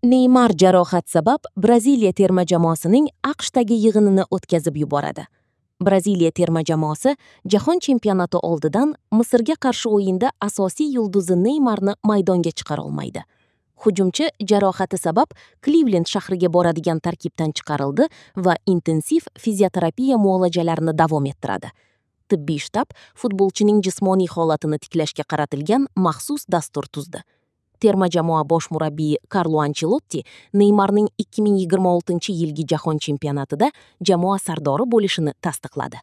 Neymar jarohat sabab Braziliya terma jamoasining AQShdagi yig'inini o'tkazib yuboradi. Braziliya terma jamoasi Jahon chempionati oldidan Misrga qarshi o'yinda asosiy yulduzi Neymarni maydonga chiqara olmaydi. Hujumchi jarohati sabab Klivlend shahriga boradigan tarkibdan chiqarildi va intensiv fizioterapiya muolajalarini davom ettiradi. Tibbiy shtab futbolchining jismoniy holatini tiklashga qaratilgan maxsus dastur tuzdi. Terma jamoa bosh murabbiyi Karlo Anchelotti Neymarning 2026-yilgi Jahon chempionatida jamoa sardori bo'lishini tasdiqladi.